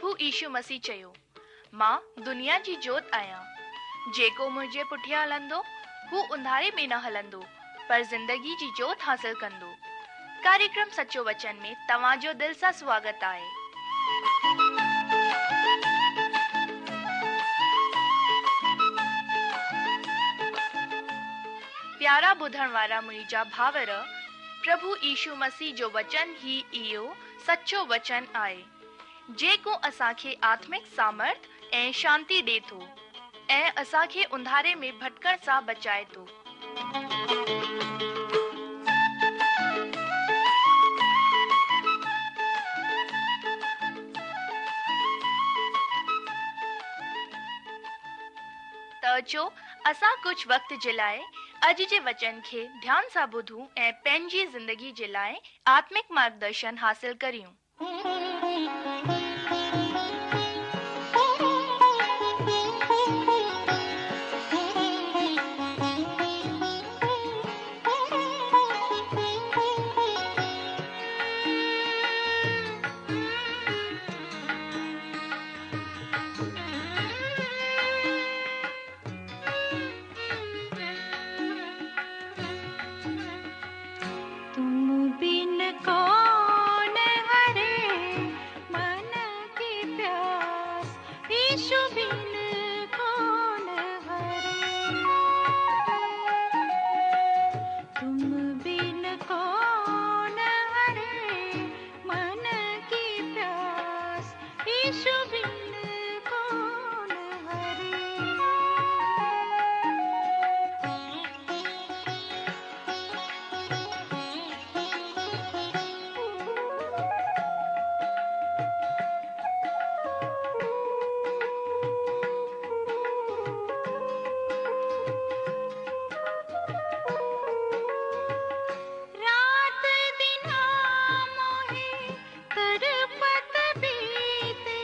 پرڀو يشو مسيح چيو، مان دنيا جي جوت آهيان. جيڪو منهنجي پٺيان هلندو، هو انڌاري ۾ نه هلندو، پر زندگي جي جوت حاصل ڪندو. ڪاريڪرم سچو وچن ۾ توهان جو دل سان سواگت آهي. پيارا ٻڌڻ وارا منهنجا ڀائر، پرڀو يشو مسيح جو وچن ئي اهو سچو وچن آهي، جيڪو اسان کي آتمڪ سامرٿ ۽ شانتي ڏي ٿو ۽ اسان کي انڌاري ۾ ڀٽڪڻ سان بچائي ٿو. ته اچو اسان ڪجهه وقت جي لاء اڄ جي وچن کي ڌيان سان ٻڌون ۽ پنهنجي زندگي جي لاء آتمڪ مارگدرشن حاصل ڪريون. تم بن ڪون هري من ڪي پياس يشو بن ڪون هري تم بن ڪون هري من ڪي پياس يشو بن ڪون هري. رات دن موهي تڙپت بيتي.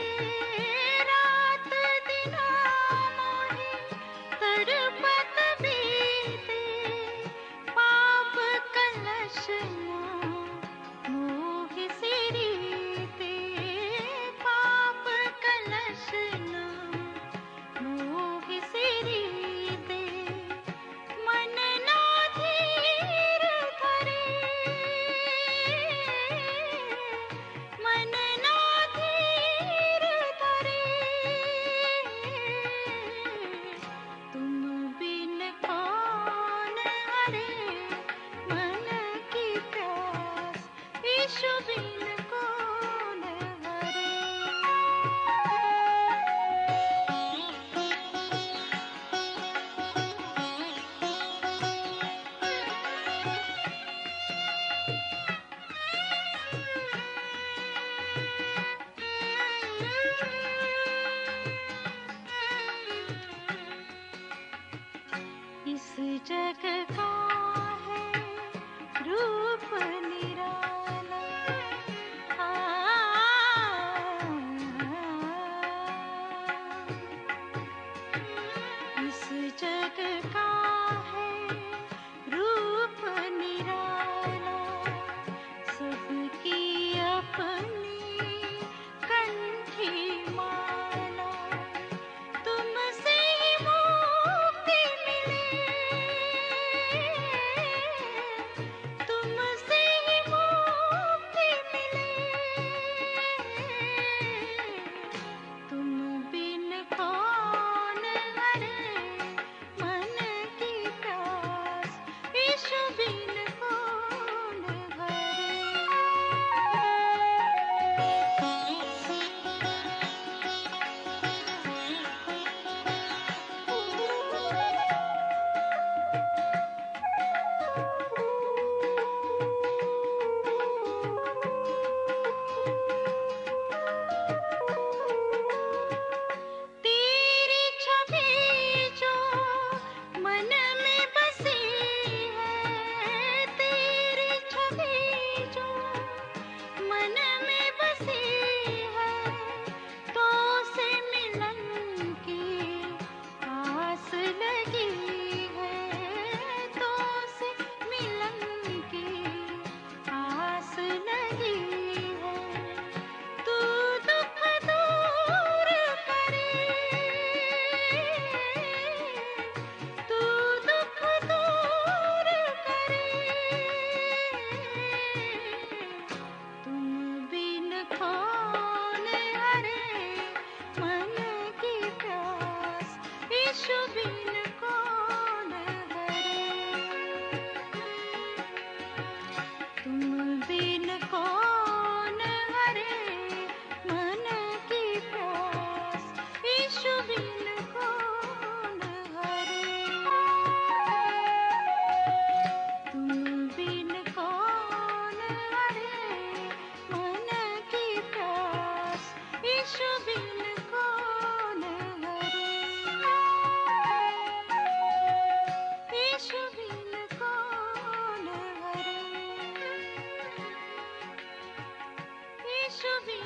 يشو بن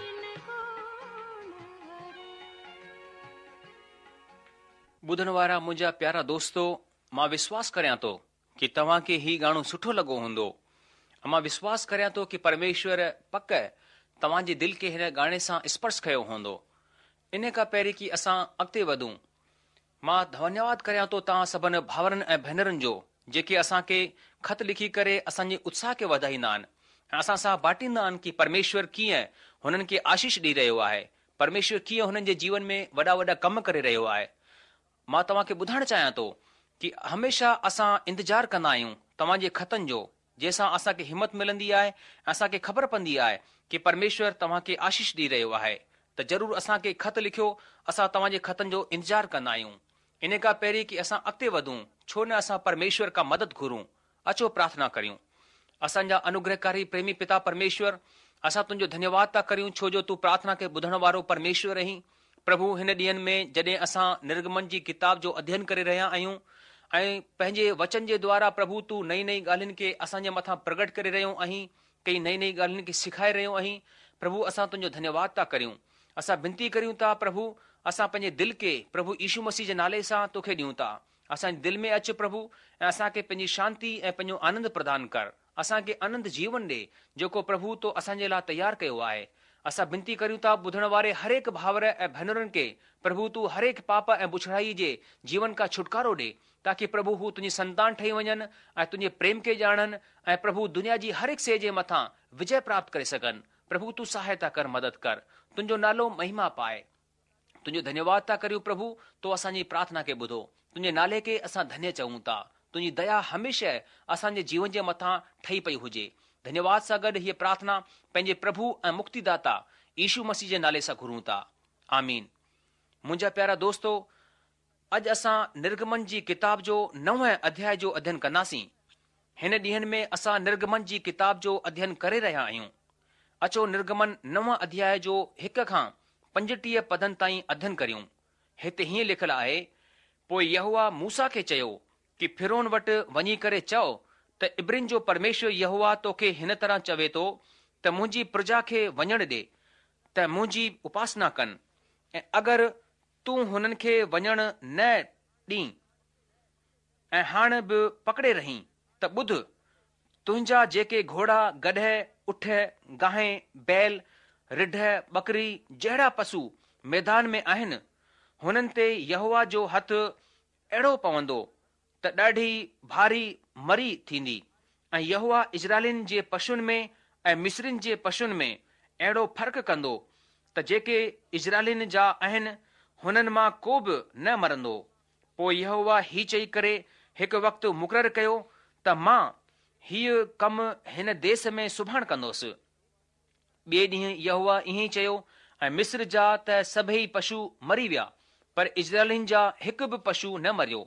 ڪون هري. ٻڌڻ وارا منهنجا پيارا دوستو مان وشواس ڪريان ٿو ڪي توهان کي هي گاڻو سٺو لڳو هوندو ۽ مان وشواس ڪريان ٿو ڪي پرميشور پڪ توهان جي دل کي هن گاڻي سان اسپرش ڪيو هوندو. انهي کان پهرين ڪي اسان اڳتي وڌون مان ڌنيواد ڪريان ٿو توهان سڀن ڀاورن ۽ ڀينرن جو جيڪي اسان کي خط لکي ڪري اسان جي اتساهه کي وڌائيندا آهن ۽ اسان سان باٽيندا آهن ڪي پرميشور ڪيئن هنن کي آشيش ڏئي رهيو آهي، پرميشور ڪيئن هنن جي جيون ۾ وڏا وڏا ڪم ڪري رهيو آهي. مان توهان کي ٻڌائڻ چاهيان ٿو ڪي هميشه اسان انتظار ڪندا آهيون توهان جي خطن جو جنهن سان اسان کي همت ملندي آهي ۽ اسان کي خبر پوندي آهي ڪي پرميشور توهان کي آشيش ڏئي رهيو آهي ته ضرور اسان کي خط لکيو اسان توهان جي خطن جو انتظار ڪندا آهيون. انهي کان پهرين ڪي اسان اڳتي وڌون ڇو نه اسان پرميشور کان مدد گهرون اچو پرارٿنا ڪريون. اسان جا انوگرهڪاري پريمي پتا پرميشور اسان تنهنجو ڌنيواد ٿا ڪريون ڇو جو تون پرارٿنا کي ٻڌڻ وارو پرميشور آهين. پرڀو هن ڏينهن ۾ جڏهن اسان نرگمن جي ڪتاب جو اڌين ڪري رهيا آهيون ۽ پنهنجي وچن جي دوارا پرڀو تون نئين نئين ڳالهين کي اسان جي مٿان پرگٽ ڪري رهيو آهين ڪئي نئين نئين ڳالهين کي سکائي رهيو آهين پرڀو اسان تنهنجو ڌنيواد ٿا ڪريون اسان بنتي ڪريون ٿا پرڀو اسان پنهنجي دل کي پرڀو يشو مسيح جي نالي سان توکي ڏيون ٿا اسان جي دل ۾ اچ پرڀو ۽ اسان کي پنهنجي شانتي ۽ پنهنجو آنند پردان ڪر اسان کي اننت جيون ڏي، جيڪو پرڀو تو اسان جي لاء تيار ڪيو آهي. اسان بنتي ڪريون ٿا ٻڌڻ واري هرهڪ ڀائر ۽ ڀينرن کي، پرڀو تون هرهڪ پاپ ۽ بڇڙائي جي جيون کان ڇوٽڪارو ڏي، تاڪي پرڀو هو تنهنجي سنتان ٺهي وڃن ۽ تنهنجي پريم کي ڄاڻن ۽ پرڀو دنيا جي هرهڪ شيء جي مٿان وجئه پراپت ڪري سگهن. پرڀو تون سهائتا ڪر مدد ڪر. تنهنجو نالو مهما پائي. تنهنجو ڌنيواد ٿا ڪريون پرڀو، تو اسان جي پرارٿنا کي ٻڌو. تنهنجي نالي کي اسان ڌنيه چئون ٿا. تنهنجي ديا هميشه اسان جي جيون جي مٿان ٺهي پئي هجي. ڌنيواد سان گڏ هيء پرارٿنا پنهنجي پرڀو ۽ مڪتيداتا يشو مسيح جي نالي سان گهرون ٿا. آمين. منهنجا پيارا دوستو، اڄ اسان نرگمن جي ڪتاب جو نون اڌياء جو اڌين ڪنداسين. هن ڏينهن ۾ اسان نرگمن جي ڪتاب جو اڌين ڪري رهيا آهيون. اچو نرگمن نون اڌياء جو هڪ کان 35 پدن تائين اڌين ڪريون. هتي هيئن لکيل آهي، پوء يهوه موسيٰ کي چيو ڪي فرعون وٽ وڃي ڪري چئو ته عبرين جو پرميشور يهوه توکي هن طرح چوي ٿو ته منهنجي پرجا کي وڃڻ ڏي ته منهنجي اپاسنا ڪن ۽ اگر تون هنن کي وڃڻ نه ڏين ۽ هاڻ به پڪڙي رهين ته ٻڌ، تنهنجا جيڪي گهوڙا، گڏهه، اٺ، گانهين، بيل، رڍ، ٻڪري جهڙا پسو ميدان ۾ آهن، هنن تي يهوه جو هٿ اهڙو پوندو ته ڏاڍي ڀاري مري ٿيندي ۽ يهوه اسرائيلين جي پشن ۾ ۽ مصرين جي پشن ۾ اهڙو فرق ڪندو ته جيڪي اسرائيلين جا آهن، هنن مان ڪو به نه مرندو. پوء يهوه هي چئي ڪري هڪ وقت مقرر ڪيو ته مان هيء ڪم هن ديس ۾ سڀاڻ ڪندوس. ٻئي ڏينهن يهوه ائين ئي چيو ۽ مصر جا ته سڀيئي پشو مري ويا، پر اسرائيلين جا هڪ به پشو نه مريو.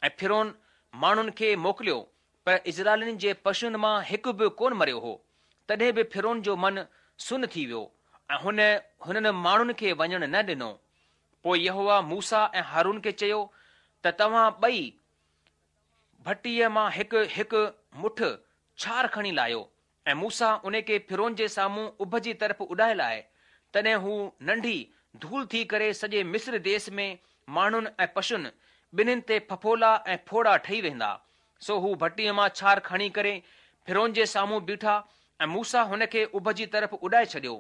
۽ فرعون ماڻهن کي موڪليو، پر اسرائيلين جي پشن مان هڪ به ڪونه مريو هو. تڏهن به فرعون جو من سن ٿي ويو ۽ هن هنن ماڻهن کي وڃڻ نه ڏنو. پوء يهوه موسيٰ ۽ هارون کي چيو ته توهان ٻئي ڀٽيء مان هڪ هڪ مٺ ڇار کڻي لاهيو ۽ موسيٰ ان کي فرعون جي سامهون اڀ جي طرف اڏائي لاهي، تڏهن هو ننڍي ڌول ٿي ڪري سڄي مصر ديس ۾ ماڻهن ۽ پشن ٻنهين تي ڦڦولا ۽ ڦوڙا ٺهي ويندا. سو هو ڀٽيء مان ڇار کڻي ڪري فرعون جي سامهون بيٺا ۽ موسيٰ هن کي اڀ جي طرف اڏائي ڇڏيو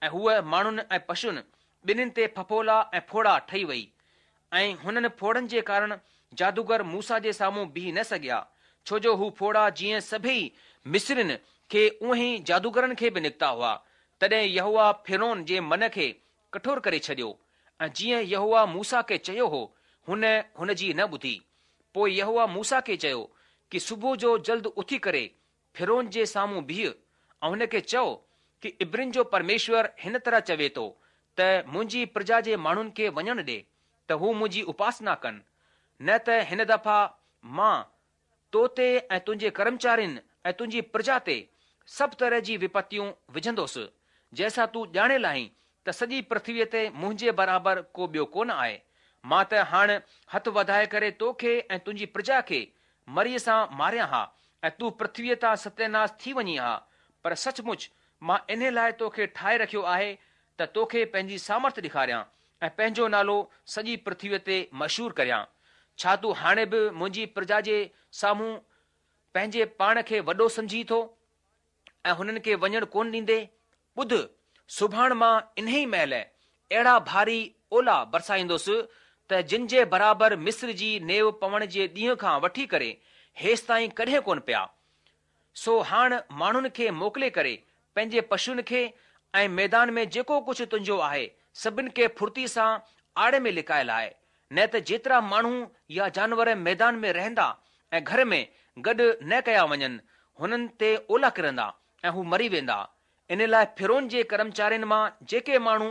۽ هوء ماڻهن ۽ پشن ٻنهين تي ڦڦولا ۽ ڦوڙا ٺهي وئي ۽ هنن ڦوڙن جي ڪارڻ جادوگر موسيٰ جي سامهون بيهي نه سگهيا، ڇو جو هو ڦوڙا جيئن سڀيئي مصرين کي اونهين ئي جادوگرن کي به نڪتا هئا. تڏهن يهوه فرعون جي من کي ڪٺور ڪري ڇڏيو ۽ جيئن يهوه موسيٰ کي چيو هو، هن هن جي نه ٻڌي. پوء يهوه موسيٰ کي چيو ڪي صبح جو جلد اٿي ڪري فرعون جي سامهون بيهه ۽ هن کي چئو ڪي عبرين جو پرميشور هن طرح چوي ٿو ته منهنجي پرجا جي ماڻهن کي وڃڻ ڏي ته هو منهنجي اپاسنا ڪن، نه ته هن دفعا مان تو تي ۽ تنهنجي ڪرمچارين ۽ تنهنجي پرجا تي سڀ طرح جي وپتيون وجهندوس، جنهن سان تون ڄاڻي لاهين ته سڄي پرٿويء تي منهنجي برابر ڪو ٻيو ڪونه آهي. مان ته هاڻ هٿ وڌائي ڪري تو کي ۽ تنهنجي پرجا کي مريء سان ماريان ها ۽ تون پرٿويء تان ستياناس ٿي وڃين ها، پر سچ مچ مان انهي لاء توکي ٺاهي رکيو آهي ته توکي پنهنجي سامرٿ ڏيکاريان ۽ پنهنجو نالو سڄي پرٿويء تي مشهور ڪريان. ڇا تون هاڻي به منهنجي پرجا جي سامهون پنهنجي پاڻ کي وڏو سمجهين ٿو ۽ هنن کي وڃڻ ڪونه ڏيندين؟ ٻڌ، سڀاڻ مان انهيء مهل اهڙا ڀاري اولا برسائيندس ته جن جي برابر مصر جي نيو پوڻ جي ڏينهن کان وٺي ڪري هيستائين ڪڏهن ڪونه پيا. سو هاڻ ماڻهن کي موڪلي ڪري پنهنجي پشوئن کي ۽ ميدان ۾ جيڪو ڪجهه تنهنجو آهي، سڀن کي ڦڙتي سان آڙ ۾ لڪائي لاء، نه ته جيترا ماڻهو يا جانور ميدان ۾ رهندا ۽ گهر ۾ گڏ نه ڪيا وڃن، هنن تي اولا ڪرندا ۽ هو مري ويندا. ان لاء فرعون جي ڪرمچارين مان جيڪي ماڻهو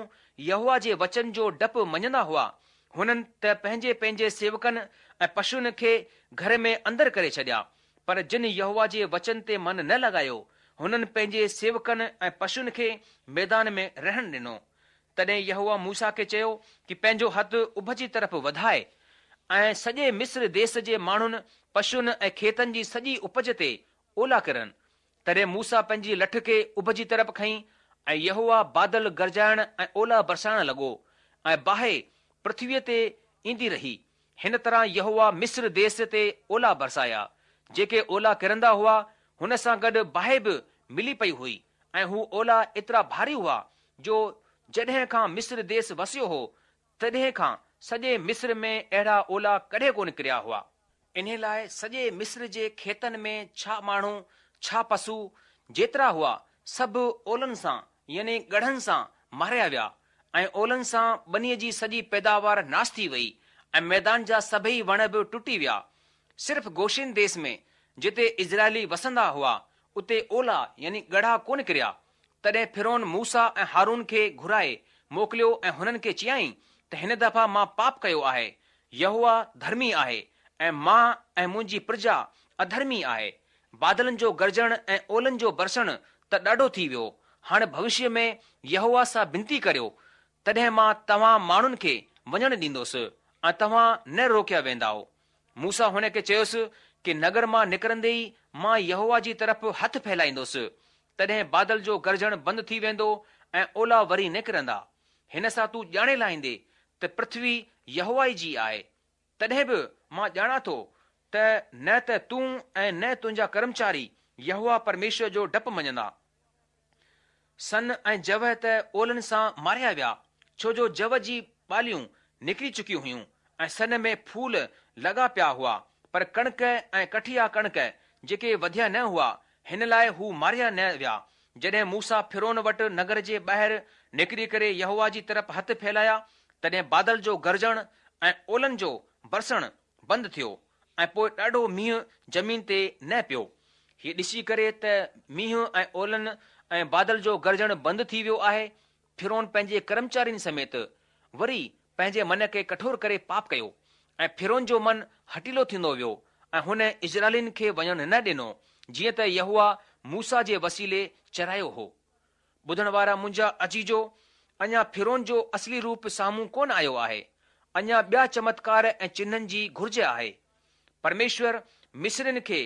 يهوه جي وچن جو ڊپ مڃندا هئا، هنن ته پنهنجي پنهنجي سيوڪن ۽ پشوئن کي گهر ۾ اندر ڪري ڇڏيا، پر جن يهوه جي وچن تي من نه لڳايو، هنن پنهنجي سيوڪن ۽ پشوئن کي ميدان ۾ رهڻ ڏنو. تڏهن يهوه موسيٰ کي چيو ڪي پنهنجو هٿ اڀ جي طرف وڌاء ۽ سڄي مصر ديس جي ماڻهن، پشوئن ۽ کيتن جي سڄي اپج تي اولا ڪرن. تڏهن موسيٰ پنهنجي لٺ کي اڀ جي طرف کنئي ۽ يهوه بادل گرجائڻ ۽ اولا برسائڻ لڳو ۽ باهه پرٿويء تي ايندي رهي. هن طرح يهوه مصر ديس تي اولا برسايا. جيڪي اولا ڪرندا هئا، هن سان گڏ باهه به ملي پئي هئي ۽ هو اولا ايترا ڀاري هئا جو جڏهن کان مصر ديس وسيو هو، تڏهن کان سڄي مصر ۾ اهڙا اولا ڪڏهن ڪونه ڪريا هئا. انهي لاء سڄي مصر جي کيتن ۾ ڇا ماڻهو، ڇا پسو، جيترا هئا، سڀ اولن سان يعني ڳڙهن سان ماريا ويا ۽ اولن سان ٻنيء جي سڄي پيداوار ناس ٿي وئي ۽ ميدان جا سڀئي وڻ به ٽٽي ويا. صرف گوشين ديس ۾، جتي اسرائيلي وسندا هئا، اتي اولا يعني ڳڙها ڪونه ڪريا. تڏهن فرعون موسيٰ ۽ هارون کي گهرائي موڪليو ۽ هنن کي چيائين ته هن دفعا مان پاپ ڪيو آهي، يهوه ڌرمي آهي ۽ مان ۽ منهنجي پرجا اڌرمي آهي. بادلن جو گرجڻ ۽ اولن جو برسڻ ته ڏاڍو ٿي ويو، هاڻ ڀوشيه ۾ يهوه سان بنتي ڪريو، تڏهن مان توهان ماڻهن کي وڃڻ ڏيندس ۽ توهان نه روڪيا ويندائو. موسيٰ هن کي چيس ڪي نگر مان نڪرندي ئي مان يهوه جي طرف هٿ ڦهلائيندس، تڏهن بادل جو گرجڻ بند ٿي ويندو ۽ اولا وري نه ڪرندا. هن سان تون ڄاڻي لاهيندي ته پرٿوي يهوه ئي جي آهي. تڏهن به مان ڄاڻان ٿو ته نه ته تون ۽ نه تنهنجا ڪرمچاري يهوه پرميشور جو ڊپ مڃندا. سن ۽ جو ته اولن سان ماريا ويا، ڇو جو جو جي ٻاليون نڪري چڪيون هيون ۽ سن ۾ ڦول لڳا پيا هئا، پر ڪڻڪ ۽ ڪٺيا ڪڻڪ جيڪي وڌيا نه هئا، هن لاء هو ماريا نه ويا. جڏهن موسيٰ فرعون وٽ نگر جي ٻاهر نڪري ڪري يهوه جي طرف هٿ ڦهلايا، تڏهن بادل جو گرجڻ ۽ اولن جو برسڻ بند ٿيو ۽ پوء ڏاڍو مينهن زمين تي نه پيو. هيء ڏسي ڪري ته مينهن ۽ اولن ۽ بادل جو گرجڻ بند ٿي ويو آهي، فرعون پنهنجي ڪرمچارين سميت وري پنهنجي من کي ڪٺور ڪري پاپ ڪيو ۽ فرعون جو من هٺيلو ٿيندو ويو ۽ هن اسرائيلين کي وڃڻ نه ڏنو، جيئن ته يهوه موسيٰ جي وسيلي چرايو هو. ٻڌڻ وارا منهنجا عزيزو، اڃا فرعون جو اصلي روپ سامهون ڪونه آيو آهي. اڃا ٻيا چمتڪار ۽ چنهن جي گهرج آهي. پرميشور مصرين کي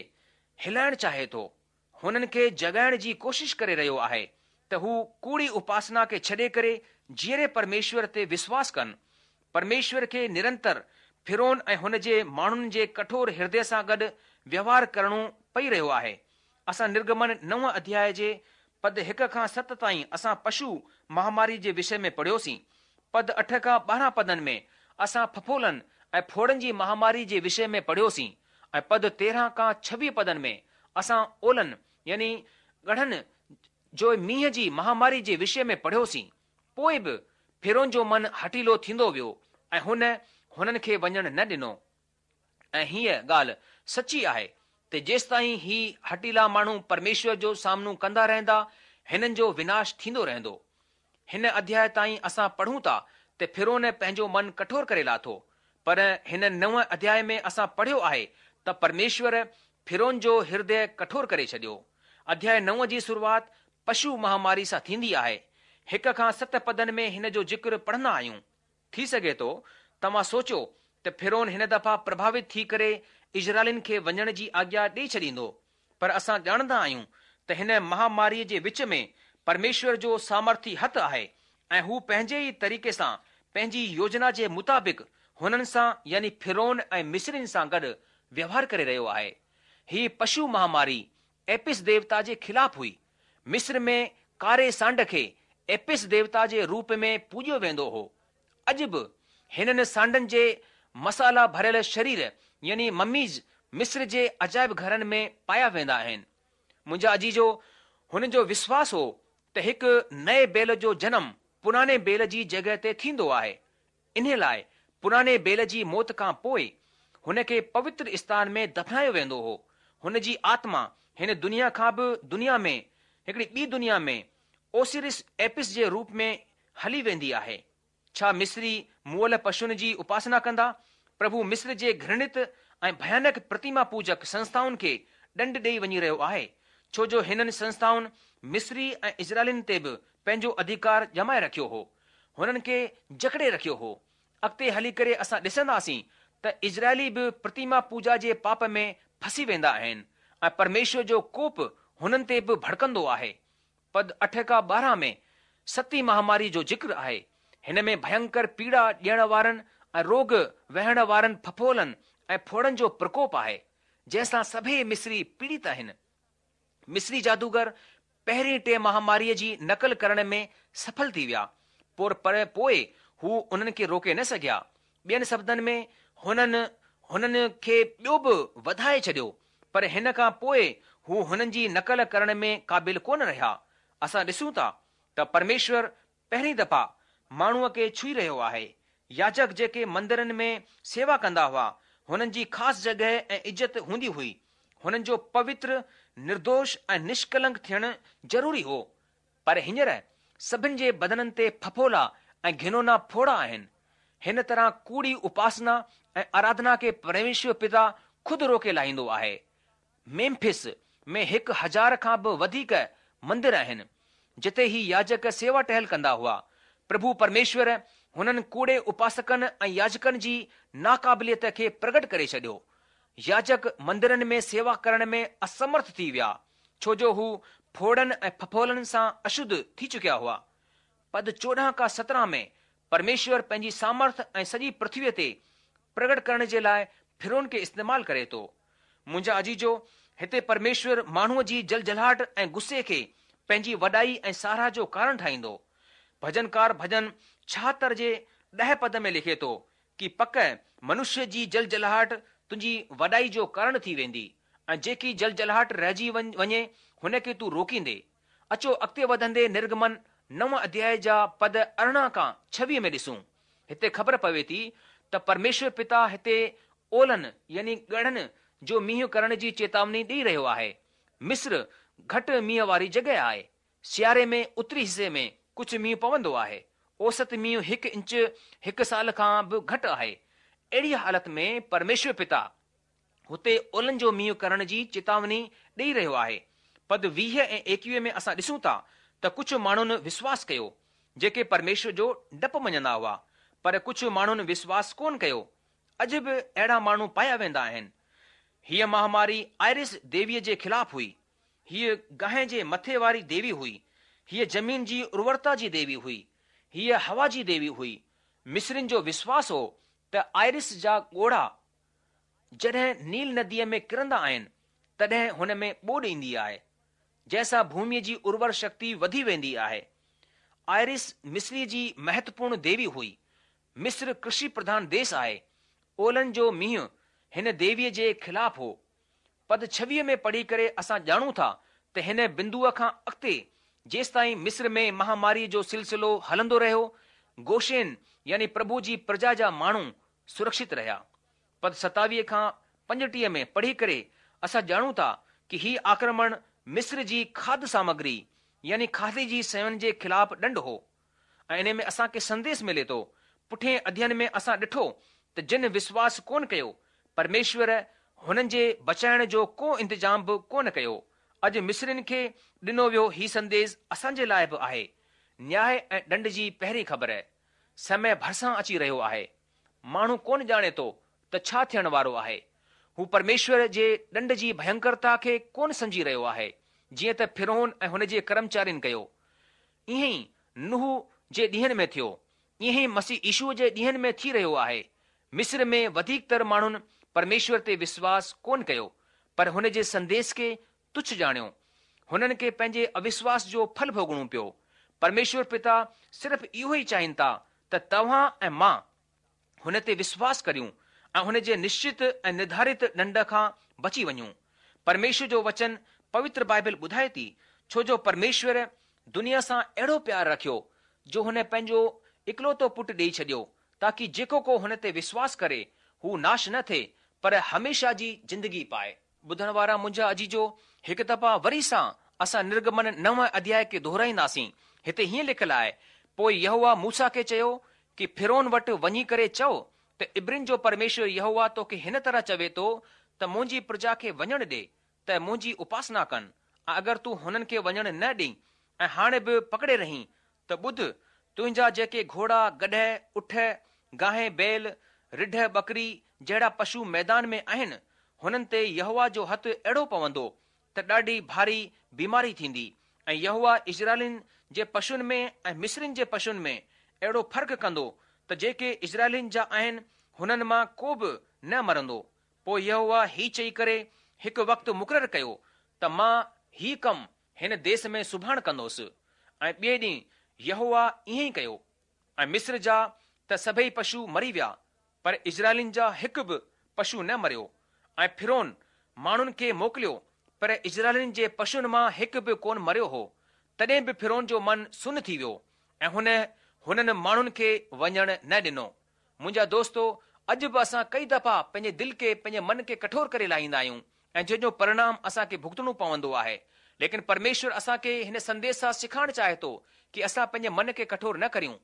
هلائڻ چاهي ٿو. هنن کي جڳائڻ جي ڪوشش ڪري رهيو آهي ته هو ڪوڙي اپاسنا کي ڇڏي ڪري جيئري پرميشور تي وشواس ڪن. پرميشور کي نرنتر فرعون ۽ هن جي ماڻهن جي ڪٺور هردي سان گڏ ويوهار ڪرڻو پئي رهيو آهي. اسان نرگمن نو اڌياء جي پد هڪ کان ست تائين اسان پشو مهاماري جي وشي ۾ پڙهيوسين. پد اٺ کان 12 پدن ۾ اسان ڦڦولن ۽ ڦوڙن جي مهاماري جي وشي ۾ پڙهيوسين ۽ پد 13 کان 26 پدن ۾ اسان اولن يعني ڳڙهن جو مينهن جي مهاماري جي وشي ۾ پڙهيوسين. پوء به فرعون جو من هٺيلو ٿيندو ويو ۽ هن هنن کي وڃڻ نه ڏنو. ۽ هيء ڳالهه سچي آهي ته جيستائين هي هٺيلا ماڻهو پرميشور جو سامنو ڪندا رهندا، هنن جو وناش ٿيندو رهندو. هن اڌياء تائين اسان پڙهون ٿا ته فرعون پنهنجو من ڪٺور ڪري لاٿو، پر هن نون اڌياء ۾ اسان پڙهيو آهي ته پرميشور فرعون جو هردي ڪٺور ڪري ڇڏيو. اڌياء نو جي شروعات پشو مهاماري سان ٿيندي آهي. هڪ کان ست پدن ۾ هن جو ذڪر پڙهندا آهيون. ٿي سگهي ٿو توهان سوچيو ته فرعون هن دفعا پرڀاوت ٿي ڪري اسرائيلين کي وڃڻ جي آگيا ڏئي ڇڏيندو، پر اسان ڄاڻندا آهيون ته هن مهاماريء جي وچ ۾ پرميشور جو سامرٿي هٿ آهي ۽ هو پنهنجي ئي طريقي سان پنهنجي يوجنا جي مطابق هنن سان يعني فرعون ۽ مصرين سان گڏ ويوهار ڪري رهيو آهي. هي پشو مهاماري ايپس ديوتا جي خلاف هئي. مصر ۾ ڪاري سانڊ کي ايپس ديوتا جي روپ ۾ پوڄيو ويندو هو. اڄ به هنن سانڊن جي مسالا ڀريل شرير يعني مميز مصر جي عجائب گهرن ۾ پايا ويندا آهن. منهنجا عزيزو، هنن جو وشواس هو ته هڪ نئين بيل جو جنم پراڻي بيل جي جڳهه تي ٿيندو آهي. انهي لاء پراڻي بيل جي موت کان پوء هن کي پوتر اسٿان ۾ دفنايو ويندو هو. هن جي آتما هن دنيا کان به دنيا ۾ هڪڙي ٻي دنيا ۾ اوسيرس ايپس جي روپ ۾ هلي ويندي آهي. ڇا مصري مئل پشن جي اپاسنا ڪندا؟ پرڀو مصر جي گهرڻت ۽ ڀيانڪ پرتيما پوجڪ سنسٿائن کي ڏنڊ ڏئي وڃي رهيو آهي، ڇو جو هنن سنسٿائن مصري ۽ اسرائيلين تي به پنهنجو اڌيڪار ڄمائي رکيو هو. هنن کي جڪڙي رکيو هو. اڳتي هلي ڪري اسان ڏسنداسين ته اسرائيلي به پرتيما پوجا جي پاپ ۾ ڦسي ويندا آهن ۽ پرميشور جو ڪوپ هنن تي به ڀڙڪندو آهي. پد اٺ کان 12 ۾ ستين مهاماري جو ذڪر آهي. هن ۾ ڀينڪر پيڙا ڏيڻ وارن ۽ روڳ وهڻ وارن ڦڦولن ۽ ڦوڙن جو پرڪوپ آهي، جنهن سان سڀئي مصري پيڙت آهن. مصري جادوگر پهرين ٽي مهاماريء جي نقل ڪرڻ ۾ سڦل ٿي ويا، پر پوء هو انهن کي روڪي نه سگهيا. ٻين شبدن ۾ هنن هنن کي ٻيو به وڌائي ڇڏيو، پر هن کان پوء هو هنن جي نقل ڪرڻ ۾ قابل ڪونه رهيا. اسان ڏسون ٿا ته پرميشور پهرين دفعا ماڻهوء کي ڇهي رهيو آهي. ياجڪ جيڪي مندرن ۾ سيوا ڪندا هئا، هنن جي خاص جڳهه ۽ عزت هوندي هئي. هنن جو پوتر، نردوش ۽ نشڪلنڪ ٿيڻ ضروري هو. پر هينئر سڀن جي بدنن تي ڦڦولا ۽ گهنونا ڦوڙا آهن. هن طرح ڪوڙي اپاسنا ۽ آراڌنا کي پرميشور پتا خود روڪي لاهيندو آهي. ميمفس ۾ 1000 کان به وڌيڪ مندر آهن، جتي هي ياجڪ سيوا ٽهل ڪندا هئا. پرڀو پرميشور هنن ڪوڙي اپاسڪن ۽ ياجڪن جي ناقابليت کي پرگٽ ڪري ڇڏيو. ياجڪ مندرن ۾ سيوا ڪرڻ ۾ اسمرٿ ٿي ويا، ڇو جو هو ڦوڙن ۽ ڦڦولن سان اشڌ ٿي چڪيا هئا. پد 14 کان 17 ۾ پرميشور پنهنجي سامرٿ ۽ سڄي پرٿويء تي پرگٽ ڪرڻ جي لاء فرعون کي استعمال ڪري ٿو. منهنجا عزيزو، هتي پرميشور ماڻهوء جي جلجلاهٽ ۽ غصي کي پنهنجي وڏائي ۽ ساراهه جو ڪارڻ ٺاهيندو. ڀجنڪار ڀجن 76 جي 10 پد ۾ لکي ٿو ڪي پڪ منشيه جي جلجلاهٽ تنهنجي وڏائي جو ڪارڻ ٿي ويندي ۽ جيڪي جلجلاهٽ رهجي وڃي هن کي تون روڪيندي. اچو اڳتي وڌندي نرگمن نو اڌيائي جا پد 18 کان 26 ۾ ڏسون. هتي خبر پوي ٿي ته پرميشور پتا هتي اولن يعني ڳڙن جو مينهن ڪرڻ جي چيتاوني ڏئي رهيو آهي. مصر گهٽ مينهن واري جڳهه آهي. سياري ۾ اتري حصي ۾ ڪجهه مينهن پوندو آهي. اوسط مينهن هڪ انچ هڪ سال کان به گهٽ آهي. اهڙي حالت ۾ پرميشور پتا هتي اولن جو مينهن ڪرڻ جي چيتاوني ڏئي رهيو آهي. پد 20 ۽ 21 ۾ اسان ڏسون ٿا ته ڪجهه ماڻهن وشواس ڪيو، جيڪي پرميشور جو ڊپ مڃندا هئا، پر ڪجهه ماڻهن وشواس ڪونه ڪيو. اڄ به اهڙا ماڻهو پايا ويندا آهن. هيء مهاماري آئرس ديويء جي خلاف هئي. هيء گانء جي مٿي واري ديوي هئي. هيء زمين جي ارورتا جي ديوي هئي. هيء هوا جي ديوي هئي. مصرين جو وشواس هو ته آئرس جا ڳوڙها جڏهن نيل نديء ۾ ڪرندا آهن، تڏهن هن ۾ ٻوڏ ايندي آهي، جنهن سان ڀوميء جي ارور شڪتي وڌي ويندي آهي. آئرس مصريء جي مهتوپورڻ ديوي هئي. مصر ڪرشي پرڌان ديس آهي. اولن جو مينهن هن ديويء جي خلاف هو. پد 26 ۾ پڙهي ڪري اسان ڄاڻون ٿا ته هن بندوء کان اڳتي جيستائين مصر ۾ مهاماريء جو سلسلو هلندو رهيو، گوشين يعني پرڀو جي پرجا جا ماڻهو سرڪشت رهيا. پد 27 کان 35 ۾ پڙهي ڪري اسان ڄاڻون ٿا ڪي هي آڪرمڻ مصر جي کاڌ سامگري يعني کاڌي جي شين جي خلاف ڏنڊ هو ۽ انهي ۾ اسان کي سنديس ملي ٿو. پٺئين اڌيين ۾ اسان ڏٺو ته جن وشواس ڪونه ڪيو، پرميشور هنن جي بچائڻ جو ڪو انتظام به ڪونه ڪيو. اڄ مصرين کي ڏنو ويو هي سنديس اسان جي لاء به آهي. نياء ۽ ڏنڊ جي پهرين خبر سمي ڀرسان اچي رهيو آهي. ماڻهو ڪونه ڄاڻي ٿو ته ڇا ٿيڻ وارو آهي. هو پرميشور جي ڏنڊ جي ڀينڪرتا کي ڪونه سمجهي رهيو آهي، جيئن ته فرعون ۽ هن جي ڪرمچارين ڪيو. ائين ئي نوح جي ڏينهن ۾ ٿيو، ائين ئي مسيح يشوع جي ڏينهن ۾ ٿي رهيو آهي. مصر ۾ وڌيڪ تر ماڻهن پرميشور تي وشواس ڪونه ڪيو، پر هن جي سنديش کي تڇ ڄاڻيو. هنن کي پنهنجي اوشواس جو ڦل ڀوڳڻو پيو. پرميشور پتا صرف اهو ئي چاهين ٿا ته توهان ۽ مان هن تي وشواس ڪريون ۽ هن جي نشچت ۽ نرڌارت ڏنڊ کان بچي وڃون. پرميشور جو وچن پوتر بائبل ٻڌائي ٿي، ڇو جو پرميشور دنيا سان اهڙو پيار رکيو جو هن پنهنجو اڪلوتو پٽ ڏيئي ڇڏيو تاڪي جيڪو ڪو هن تي وشواس ڪري هو ناش نه ٿئي پر هميشه جي زندگي پائي. ٻڌڻ وارا منهنجا عزيزو، هڪ دفعا وري سان اسان نرگمن نو اڌياء کي دهرائينداسين. هتي هيئن لکيل آهي، پوء يهوه موسيٰ کي چيو ڪي فرعون وٽ وڃي ڪري چئو ته عبرين جو پرميشور يهوه توکي هن طرح چوي ٿو ته منهنجي پرجا کي وڃڻ ڏي ته منهنجي اپاسنا ڪن ۽ اگر تون هنن کي وڃڻ نه ڏئين ۽ هاڻي به پڪڙي رهين ته ٻڌ، تنهنجا جيڪي گهوڙا، گڏهه، اٺ، گانهين، بيل، رڍ، ٻڪري جهڙا پشو ميدان ۾ آهن، هنن تي يهوه جو هٿ اهڙو پوندو ته ڏاڍي ڀاري بيماري ٿيندي ۽ يهوه اسرائيلين جي پشن ۾ ۽ مصرين جي پشن ۾ اهڙو فرق ڪندو ته جيڪي اسرائيلين جا آهن، هنن مان ڪو به نه مرندو. پوء يهوه هي چئي ڪري هڪ وقت مقرر ڪيو ته مان هي ڪم هن ديس ۾ سڀاڻ ڪندوس. ۽ ٻئي ڏينهن يهوه ائين ئي ڪيو، ۽ مصر جا ته سڀئي پشو مري ويا، پر اسرائيلين جا هڪ به پشو نه مريو. ۽ فرعون ماڻهن کي موڪليو، پر اسرائيلين جي پشن مان هڪ به ڪونه مريو هو. تڏهن به فرعون جو من سن ٿي ويو، ۽ هن هنن ماڻهن کي وڃڻ نه ڏنو. منهنجا دوستو، اڄ به اسان ڪئي دفعا پنهنجي دل کي، پنهنجي من کي ڪٺور ڪري لاهيندا آهيون ۽ جنهن جو پرڻام اسان کي ڀڳتڻو پوندو آهي. ليڪن پرميشور اسان کي هن سنديش سان سيکارڻ چاهي ٿو ڪي اسان پنهنجي من کي ڪٺور نه ڪريون.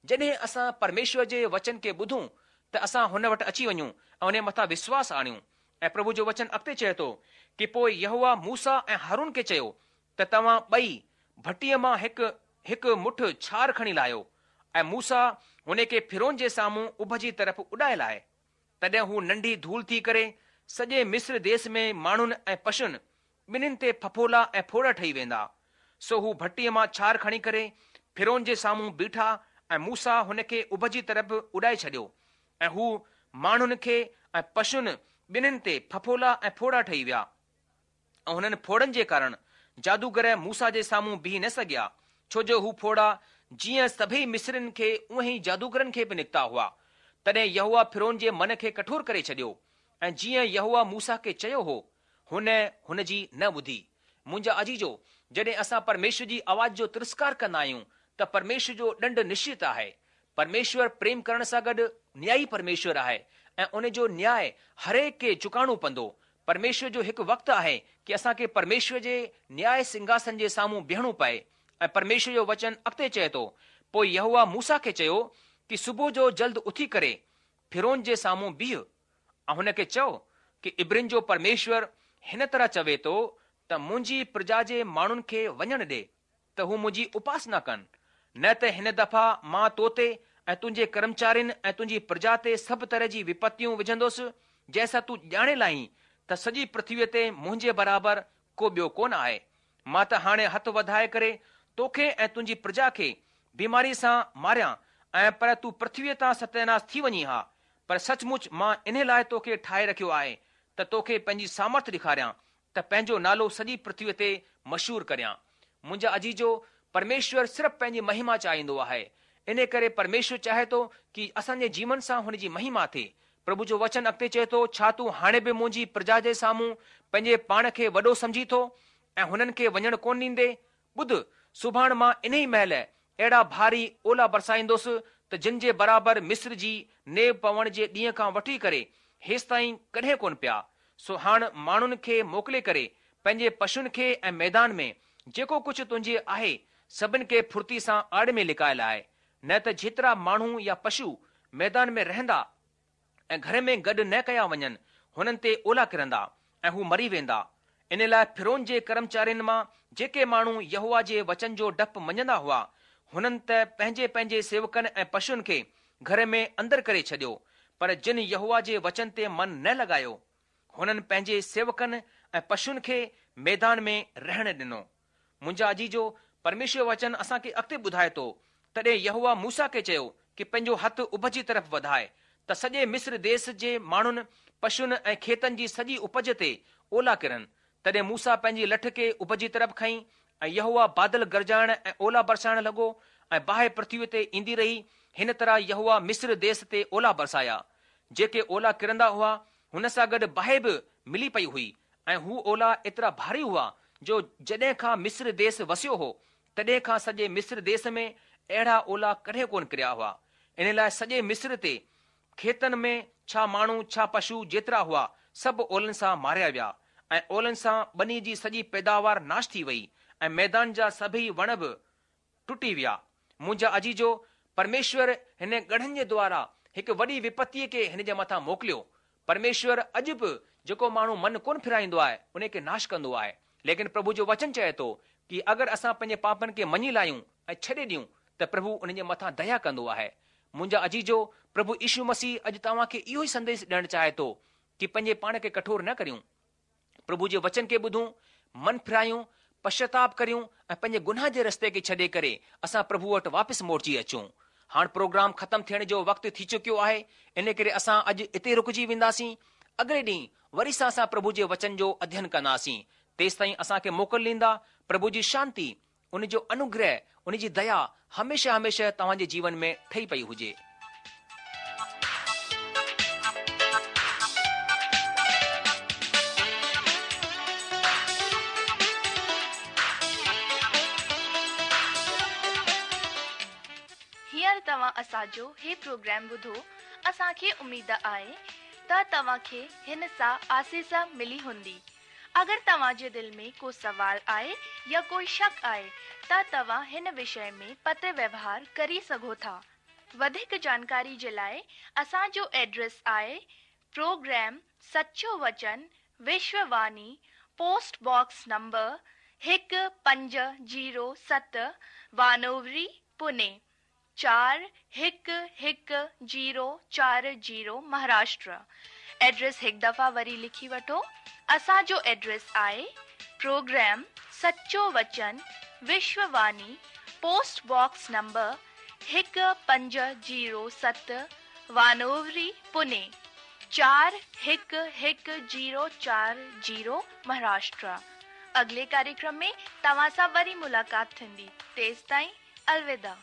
جڏهن اسان پرميشور جي وچن کي ٻڌون ته اسان هن وٽ اچي وڃون ۽ ان جي مٿان وشواس آڻيون. ۽ پرڀو جو وچن اڳتي چئي ٿو ڪي پوء يهوه موسيٰ ۽ هارون کي چيو ته توهان ٻئي ڀٽيء مان هڪ هڪ مٺ ڇار کڻي لاهيو، ۽ موسيٰ هن کي فرعون جي سامهون اڀ جي طرف اڏائي لاهي. تڏهن هو ننڍي ڌول ٿي ڪري سڄي مصر ديس ۾ ماڻهن ۽ پشن ٻنهين تي ڦڦولا ۽ ڦوڙا ٺهي ويندا. سو هو ڀٽيء مان ڇار کڻي ڪري فرعون جي سامهون بيٺا ۽ موسيٰ هن کي اڀ جي طرف اڏائي ڇڏيو، ۽ هو ماڻهن کي ۽ پشن ٻنهين تي ڦڦولا ۽ ڦوڙا ٺهي ويا. ۽ هنن ڦوڙن جي ڪارڻ جادوگر موسيٰ جي سامهون بيهي نه سگهيا، ڇو جو هو ڦوڙا جيئن سڀئي مصرين کي اونهين ئي جادوگرن کي به نڪتا هئا. تڏهن يهوه فرعون جي من کي ڪٺور ڪري ڇڏيو، ۽ جيئن يهوه موسيٰ کي چيو هو، هن هن جي نه ٻڌي. منهنجا عزيزو، جڏهن اسان پرميشور جي آواز جو ترسڪار ڪندا آهيون ته پرميشور جو ڏنڊ نشچت آهي. پرميشور پريم ڪرڻ سان گڏ نيائي پرميشور آهي ۽ ان جو نياء هرهڪ کي چڪائڻو پوندو. پرميشور جو هڪ وقت آهي ڪي اسان کي پرميشور جي نياء سنگهاسن جي سامهون بيهڻو پئي ۽ پرميشور جو وچن اڳتي چئي ٿو، پوء يهوه موسيٰ کي چيو ڪي صبح جو جلد اٿي ڪري فرعون جي سامهون بيهه ۽ هن کي چئو ڪي عبرين جو پرميشور هن طرح چوي ٿو ته منهنجي پرجا جي ماڻهن کي وڃڻ ڏي ته هو منهنجي اپاسنا ڪن، نه ته هن دفعا مان تو تي ۽ تنهنجي ڪرمچارين ۽ تنهنجي پرجا تي سڀ طرح جي وپتيون وجهندس، جنهن سان تون ڄاڻي لاهين ته سڄي پرٿويء تي منهنجي برابر ڪو ٻيو ڪونه آهي. مان ته هاڻي هٿ وڌائي ڪري توکي ۽ تنهنجي پرجا کي بيماريء سان ماريان ۽ پر تون پرٿويء تان ستياناس ٿي وڃين ها، پر سچ مچ مان انهي لاء توکي ٺاهي رکيو آهي ته توکي پنهنجي سامرٿ ڏيکاريان ته پنهنجو نالو سڄي پرٿويء تي مشهور ڪريان. منهنجا عزيزو، پرميشور صرف پنهنجي مهما چاهيندو آهي. انهي ڪري پرميشور چاهي ٿو ڪي اسان جي جيون سان هن جي مهما ٿئي. پرڀو جو وچن اڳتي چئي ٿو، ڇا تون هاڻي به منهنجي پرجا جي سامهون پنهنجي پاڻ کي وڏو سمجهين ٿو ۽ هنن کي وڃڻ ڪونه ڏيندين؟ ٻڌ، سڀاڻ مان انهي مهل اهڙا ڀاري اولا برسائيندس ته جن جي برابر مصر جي نيو پوڻ جي ڏينهن کان وٺي ڪري هيستائين ڪڏهن ڪونه پيا. سو هاڻ ماڻهن کي موڪلي ڪري پنهنجي پشن کي ۽ ميدان ۾ جيڪو ڪجهه تنهنجي آهي سڀن کي ڦرتي سان آڙ ۾ لڪائي لاء، نه ته جيترا ماڻهو يا پشو ميدان ۾ رهندا ۽ گهر ۾ گڏ نه ڪيا وڃن، هنن تي اولا ڪرندا ۽ هو مري ويندا. ان لاء فرعون جي ڪرمچارين مان جيڪي ماڻهو يهوه جي وچن جو ڊپ مڃندا هئا، هنن ته پنهنجي پنهنجي سيوڪن ۽ پشن کي گهر ۾ اندر ڪري ڇڏيو، پر جن يهوه جي وچن تي من نه لڳايو، هنن پنهنجي سيوڪن ۽ پشن کي ميدان ۾ رهڻ ڏنو. منهنجا عزيزو، پرميشور جو وچن اسان کي اڳتي ٻڌائي ٿو، تڏهن يهوه موسيٰ کي چيو ڪي پنهنجو هٿ اڀ جي طرف وڌاء، ته سڄي مصر ديس جي ماڻهن، پشن ۽ کيتن جي سڄي اپج تي اولا ڪرن. تڏهن موسيٰ پنهنجي لٺ کي اڀ جي طرف کنئي، ۽ يهوه بادل گرجائڻ ۽ اولا برسائڻ لڳو، ۽ باهه پرٿويء تي ايندي رهي، هن طرح يهوه مصر ديس تي اولا برسايا. جيڪي اولا ڪرندا هئا، هن سان گڏ باهه به ملي پئي هئي، ۽ هو اولا ايترا ڀاري هئا، جو جڏهن کان مصر ديس وسيو هو، تڏهن کان سڄي مصر ديس ۾ اهڙا اولا ڪڏهن ڪونه ڪريا هئا. ان لاء سڄي مصر تي کيتن ۾ ڇا ماڻهو ڇا پشو جيترا هئا، سڀ اولن سان ماريا ويا، ۽ اولن سان ٻني جي سڄي پيداوار ناش ٿي وئي، ۽ ميدان جا سڀيئي وڻ به ٽٽي ويا. منهنجا عزيزو، پرميشور هن ڳڙن جي دوارا هڪ وڏي وپتيء کي هن جي مٿان موڪليو. پرميشور اڄ به جيڪو ماڻهو من ڪونه ڦيرائيندو آهي، ان کي ناش ڪندو آهي. ليڪن پرڀو جو وچن چئي ٿو ڪي اگر اسان پنهنجي پاپن کي مڃي لاهيون ۽ ڇڏي ڏيون ته پرڀو انهن جي مٿان ديا ڪندو آهي. منهنجا عزيزو، پرڀو يشو مسيح اڄ توهان کي اهو ئي سنديش ڏيڻ چاهي ٿو ڪي پنهنجي پاڻ کي ڪٺور نه ڪريون. پرڀو جي وچن کي ٻڌون، من ڦيرايون، پشچاتاپ ڪريون ۽ پنهنجي گناهه جي رستي کي ڇڏي ڪري اسان پرڀو وٽ واپس موٽجي اچون. هاڻ پروگرام ختم ٿيڻ جو وقت ٿي چڪيو آهي، ان ڪري اسان اڄ اتي رڪجي وينداسين. اڳلي ڏينهن وري سان اسان پرڀو جي وچن جو اڌين ڪنداسين. تيستائين اسان کي موڪل ڏيندا. پرڀو جي شانتي، ان جو انوگره، ان جي ديا هميشه هميشه توهان جي جيون ۾ ٺهي پئي هجي. هينئر توهان اسان جو هي پروگرام ٻڌو، اسان کي اميد آهي ته توهان کي هن سان آسيس ملي هوندي. اگر توهان جي دل ۾ ڪو سوال آهي يا ڪوئي شڪ آهي ته توهان هن وشي ۾ پتر ويوهار ڪري سگهو ٿا. وڌيڪ جانڪاري جي لاء اسان جو ايڊريس آهي پروگرام سچو وچن Vishwa Vani post box number 1507 Wanowrie Pune 4 1 1 0 4 0 Maharashtra address هڪ دفعا وري لکي وٺو اسان جو ايڊريس آهي پروگرام سچو وچن Vishwa Vani post box number 1 5 0 7 Wanowrie Pune 4 1 1 0 4 0 Maharashtra اڳلي ڪاريڪرم ۾ توهان سان وري ملاقات ٿيندي تيستائين الوداع.